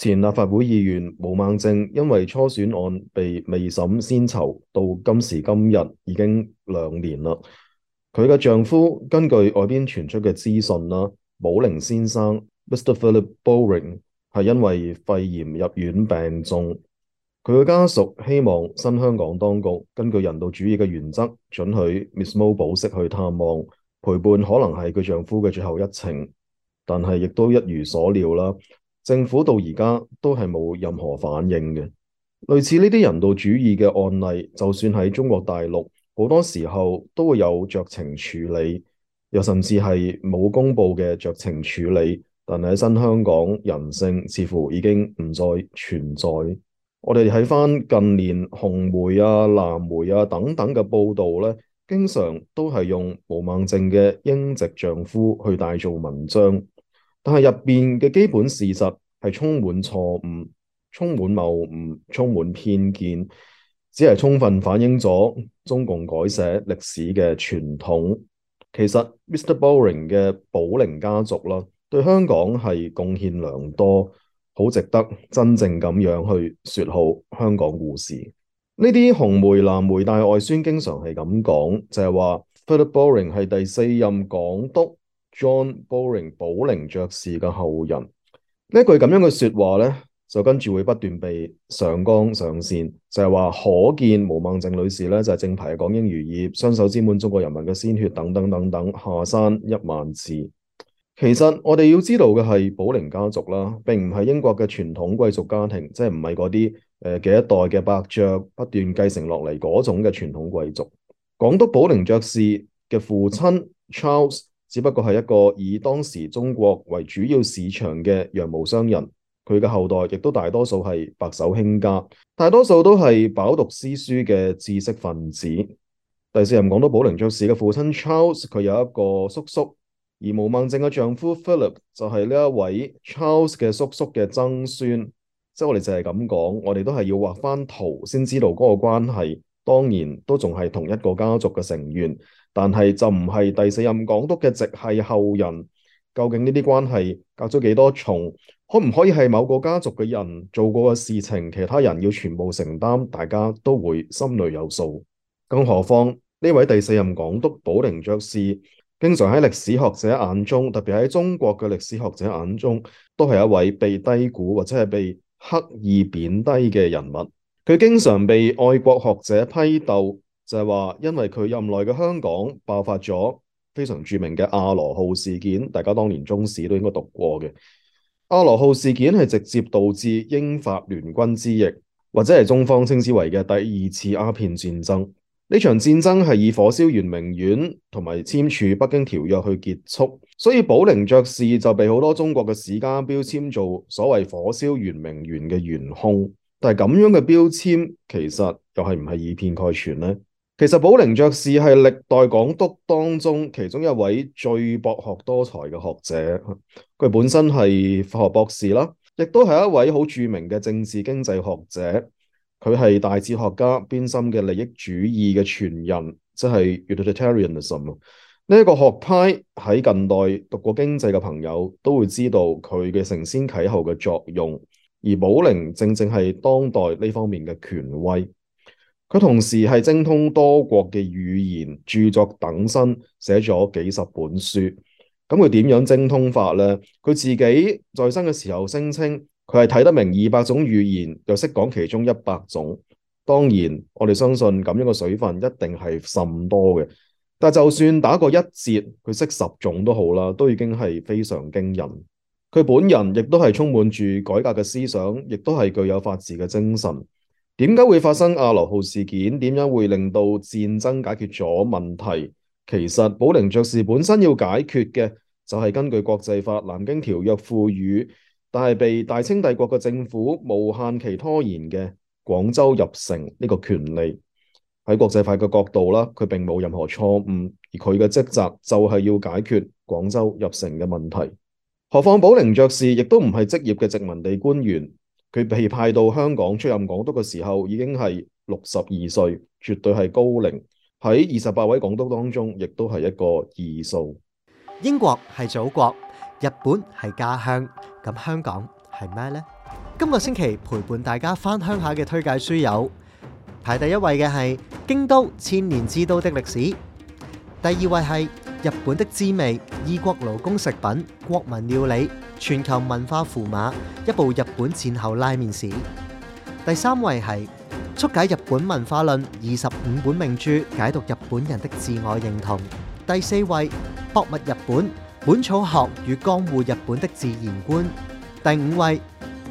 前立法會議員毛孟靜因為初選案被未審先囚，到今時今日已經2年啦。佢嘅丈夫根據外邊傳出嘅資訊啦，寶靈先生 Mr. Philip Bowring 係因為肺炎入院病重。佢嘅家屬希望新香港當局根據人道主義嘅原則，准許 Miss Mo 保釋去探望，陪伴可能係佢丈夫嘅最後一程。但係亦都一如所料啦，政府到而家都係冇任何反應嘅。類似呢啲人道主義嘅案例，就算喺中國大陸，好多時候都會有酌情處理，又甚至係冇公佈嘅酌情處理。但係喺新香港，人性似乎已經唔再存在。我哋睇翻近年紅媒啊、藍媒啊等等嘅報導咧，經常都係用毛孟靜嘅英籍丈夫去大做文章，但係入邊嘅基本事實係充滿錯誤、充滿謬誤、充滿偏見，只係充分反映咗中共改寫歷史嘅傳統。其實 Mr. Bowring 嘅寶靈家族啦，對香港係貢獻良多，好值得真正咁樣去說好香港故事。呢啲紅媒、藍媒大外宣經常係咁講，就係話 Philip Bowring 係第四任港督 John Bowring 寶靈爵士嘅後人。呢句咁樣嘅說話呢，就跟住會不斷被上綱上線，就係話可見毛孟靜女士呢，就係正牌嘅港英餘孽，雙手沾滿中國人民嘅鮮血等等等等，下山1萬次。其實我哋要知道嘅係寶靈家族啦，並唔係英國嘅傳統貴族家庭，即係唔係嗰啲幾一代嘅伯爵不斷繼承落嚟嗰種嘅傳統貴族。港督寶靈爵士嘅父親 Charles 只不過係一個以當時中國為主要市場嘅羊毛商人，佢嘅後代亦都大多數係白手興家，大多數都係飽讀詩書嘅知識分子。第四任港督寶靈爵士嘅父親 Charles 佢有一個叔叔。而毛孟靜嘅丈夫 Philip 就係呢一位 Charles 嘅叔叔嘅曾孫，即係我哋就係咁講，我哋都係要畫翻圖先知道嗰個關係。當然都仲係同一個家族嘅成員，但係就唔係第四任港督嘅直系後人。究竟呢啲關係隔咗幾多重？可唔可以係某個家族嘅人做過嘅事情，其他人要全部承擔？大家都會心裏有數。更何況呢位第四任港督寶靈爵士，經常喺歷史學者眼中，特別喺中國嘅歷史學者眼中，都係一位被低估或者係被刻意貶低嘅人物。佢經常被愛國學者批鬥，就係話因為佢任內嘅香港爆發咗非常著名嘅亞羅號事件，大家當年中史都應該讀過嘅。亞羅號事件係直接導致英法聯軍之役，或者係中方稱之為嘅第二次鴉片戰爭。呢場戰爭係以火燒圓明園同埋簽署北京條約去結束，所以寶靈爵士就被好多中國嘅史家標籤做所謂火燒圓明園嘅元兇。但係咁樣嘅標籤其實又係唔係以偏概全呢？其實寶靈爵士係歷代港督當中其中一位最博學多才嘅學者，佢本身係法學博士啦，亦都係一位好著名嘅政治經濟學者。佢係大哲學家邊沁嘅利益主義嘅傳人，即係 utilitarianism。呢一個學派喺近代讀過經濟嘅朋友都會知道佢嘅承先啟後嘅作用，而寶靈正正係當代呢方面嘅權威。佢同時係精通多國嘅語言，著作等身，寫咗幾十本書。咁佢點樣精通法呢？佢自己在生嘅時候聲稱，佢係睇得明200種語言，又識講其中100種。當然，我哋相信咁樣嘅水分一定係甚多嘅。但就算打個一折，佢識10種都好啦，都已經係非常驚人。佢本人亦都係充滿住改革嘅思想，亦都係具有法治嘅精神。點解會發生亞羅號事件？點樣會令到戰爭解決咗問題？其實寶靈爵士本身要解決嘅就係根據國際法《南京條約》賦予，但係被大清帝國嘅政府無限期拖延嘅廣州入城呢個權利。喺國際法嘅角度啦，佢並冇任何錯誤，而佢嘅職責就係要解決廣州入城嘅問題。何況寶靈爵士亦都唔係職業嘅殖民地官員。佢被派到香港出任港督嘅時候已經係62歲，絕對係高齡。喺28位港督當中，亦都係一個異數。英國係祖國，日本係家鄉，咁香港係咩呢？今個星期陪伴大家返鄉下嘅推介書有排第一位嘅係《京都千年之都的歷史》，第二位係日本的滋味異國勞工食品國民料理全球文化符碼一部日本戰後拉麵史，第三位係速解日本文化論25本名著解讀日本人的自我認同，第四位博物日本本草學與江戶日本的自然觀，第五位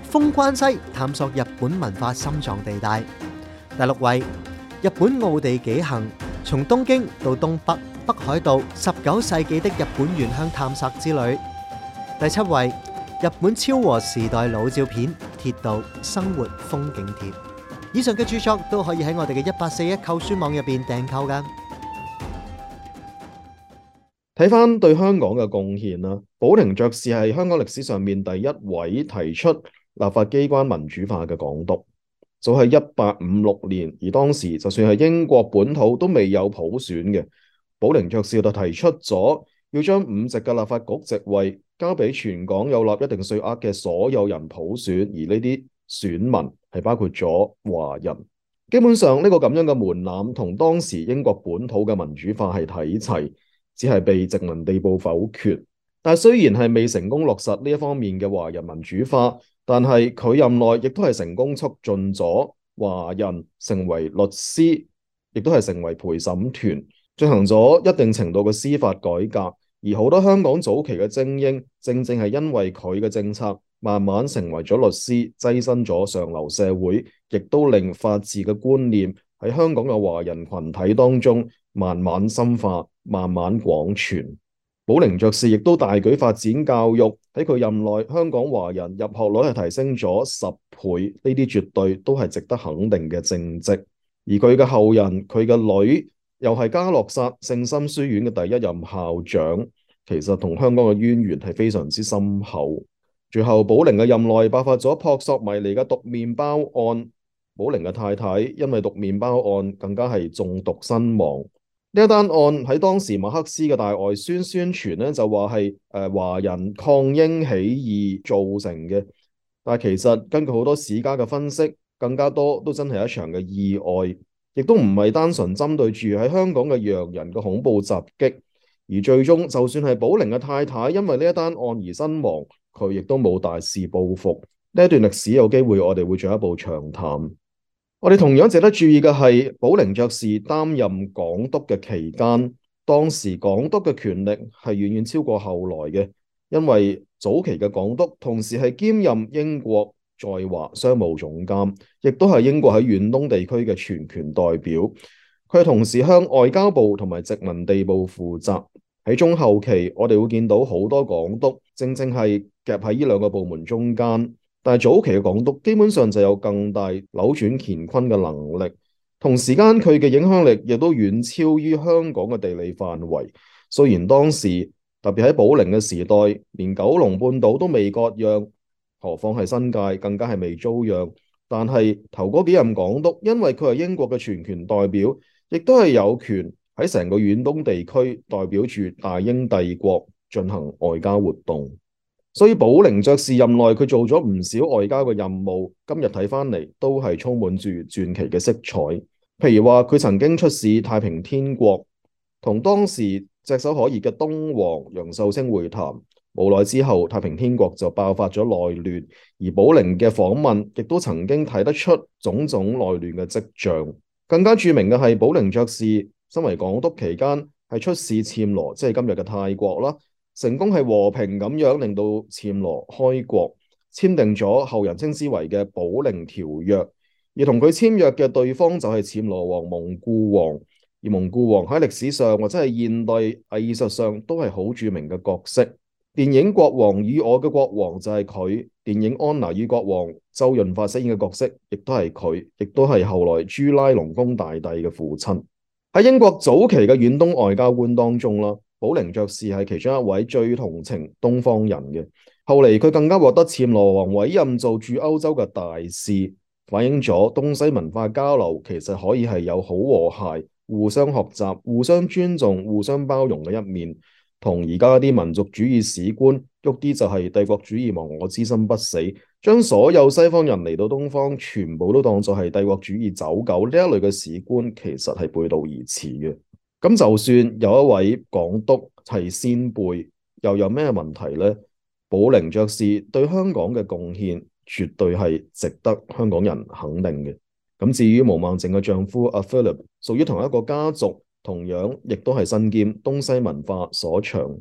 封關西探索日本文化心臟地帶，第六位日本奧地紀行從東京到東北北海道19世紀的日本原鄉探索之旅，第七位日本昭和時代老照片鐵道生活風景貼。以上嘅著作都可以喺我哋嘅1841購書網入邊訂購噶。睇翻對香港嘅貢獻啦，寶靈爵士係香港歷史上面第一位提出立法機關民主化嘅港督，就係1856年，而當時就算係英國本土都未有普選嘅，寶靈爵士就提出咗要將5席嘅立法局席位交俾全港有納一定稅額嘅所有人普選，而呢啲選民係包括咗華人。基本上呢個咁樣嘅門檻同當時英國本土嘅民主化係睇齊，只係被殖民地部否決。但係雖然係未成功落實呢一方面嘅華人民主化，但係佢任內亦都係成功促進咗華人成為律師，亦都係成為陪審團，進行咗一定程度嘅司法改革。而好多香港早期嘅精英，正正係因為佢嘅政策，慢慢成為咗律師，躋身咗上流社會，亦都令法治嘅觀念喺香港嘅華人群體當中慢慢深化，慢慢廣傳。寶靈爵士亦都大舉發展教育，喺佢任內，香港華人入學率係提升咗10倍，呢啲絕對都係值得肯定嘅政績。而佢嘅後人，佢嘅女又係嘉諾撒聖心書院嘅第一任校長，其實同香港嘅淵源係非常之深厚。最後寶靈嘅任內爆發咗撲朔迷離嘅毒麵包案，寶靈嘅太太因為毒麵包案更加係中毒身亡。呢一單案喺當時馬克思嘅大外宣傳咧，就話係華人抗英起義造成嘅，但係其實根據好多史家嘅分析，更加多都真係一場嘅意外，亦都唔係單純針對住喺香港嘅洋人嘅恐怖襲擊。而最終就算係寶靈嘅太太因為呢一單案而身亡，佢亦都冇大肆報復。呢一段歷史有機會我哋會進一步長談。我哋同樣值得注意嘅係，寶靈爵士擔任港督嘅期間，當時港督嘅權力係遠遠超過後來嘅，因為早期嘅港督同時係兼任英國在華商務總監，亦都係英國喺遠東地區嘅全權代表。佢同時向外交部同埋殖民地部負責。喺中後期，我哋會見到好多港督正正係夾喺呢兩個部門中間。但係早期嘅港督基本上就有更大扭轉乾坤嘅能力，同時間佢嘅影響力亦都遠超於香港嘅地理範圍。雖然當時特別喺寶靈嘅時代，連九龍半島都未割讓，何況係新界更加係未租讓。但係頭嗰幾任港督，因為佢係英國嘅全權代表，亦都係有權喺成個遠東地區代表住大英帝國進行外交活動。所以寶靈爵士任內佢做咗唔少外交嘅任務，今日睇翻嚟都係充滿住傳奇嘅色彩。譬如話佢曾經出使太平天國，同當時炙手可熱嘅東王楊秀清會談，無奈之後太平天國就爆發咗內亂，而寶靈嘅訪問亦都曾經睇得出種種內亂嘅跡象。更加著名嘅係寶靈爵士身為港督期間係出使暹羅，即係今日嘅泰國啦。成功係和平咁樣令到暹羅開國，簽訂咗後人稱之為嘅寶靈條約。而同佢簽約嘅對方就係暹羅王蒙古王，而蒙古王喺歷史上或者係現代藝術上都係好著名嘅角色。電影《國王與我嘅國王》就係佢，電影《安娜與國王》周潤發飾演嘅角色亦都係佢，亦都係後來朱拉隆功大帝嘅父親。喺英國早期嘅遠東外交官當中啦，寶靈爵士係其中一位最同情東方人嘅。後嚟佢更加獲得暹羅王委任做駐歐洲嘅大使，反映咗東西文化交流其實可以係有好和諧、互相學習、互相尊重、互相包容嘅一面。同而家啲民族主義史觀喐啲就係帝國主義亡我之心不死，將所有西方人嚟到東方全部都當作係帝國主義走狗呢一類嘅史觀，其實係背道而馳嘅。咁就算有一位港督係先輩，又有咩問題呢？寶靈爵士對香港嘅貢獻絕對係值得香港人肯定嘅。咁至於毛孟靜嘅丈夫阿 Philip，屬於同一個家族，同樣亦都係身兼東西文化所長。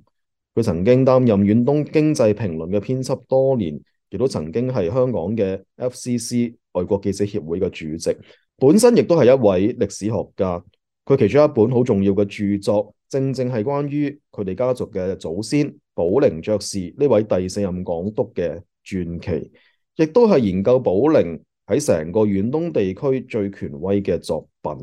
佢曾經擔任遠東經濟評論嘅編輯多年，亦都曾經係香港嘅 FCC 外國記者協會嘅主席，本身亦都係一位歷史學家。佢其中一本好重要嘅著作，正正係關於佢哋家族嘅祖先寶靈爵士呢位第4任港督嘅傳奇，亦都係研究寶靈喺成個遠東地區最權威嘅作品。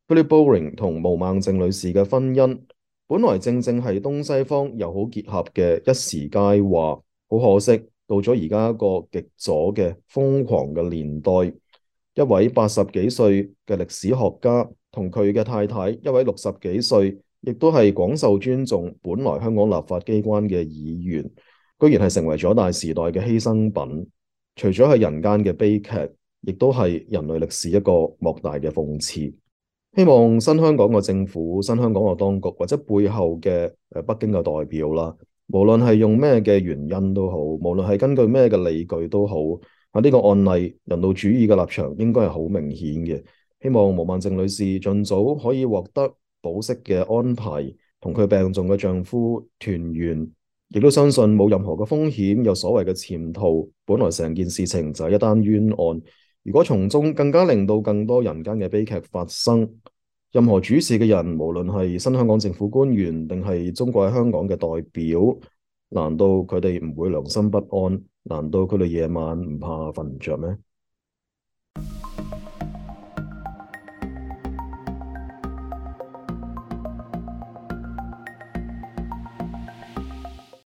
Philip Bowring 同毛孟靜女士嘅婚姻，本來正正係東西方友好結合嘅一時佳話，好可惜，到咗而家一個極左嘅瘋狂嘅年代，一位80幾歲嘅歷史學家同佢嘅太太，一位60幾歲，亦都係廣受尊重，本來香港立法機關嘅議員，居然係成為咗大時代嘅犧牲品。除咗係人間嘅悲劇，亦都係人類歷史一個莫大嘅諷刺。希望新香港嘅政府、新香港嘅當局或者背後嘅北京嘅代表啦，無論係用咩嘅原因都好，無論係根據咩嘅理據都好，呢個案例人道主義嘅立場應該係好明顯嘅。希望毛孟靜女士盡早可以獲得保釋嘅安排，同佢病重嘅丈夫團圓，亦都相信冇任何嘅風險，有所謂嘅潛逃。本來成件事情就係一單冤案。如果從中更加令到更多人間嘅悲劇發生，任何主事嘅人，無論係新香港政府官員定係中國喺香港嘅代表，難道佢哋唔會良心不安？難道佢哋夜晚唔怕瞓唔着咩？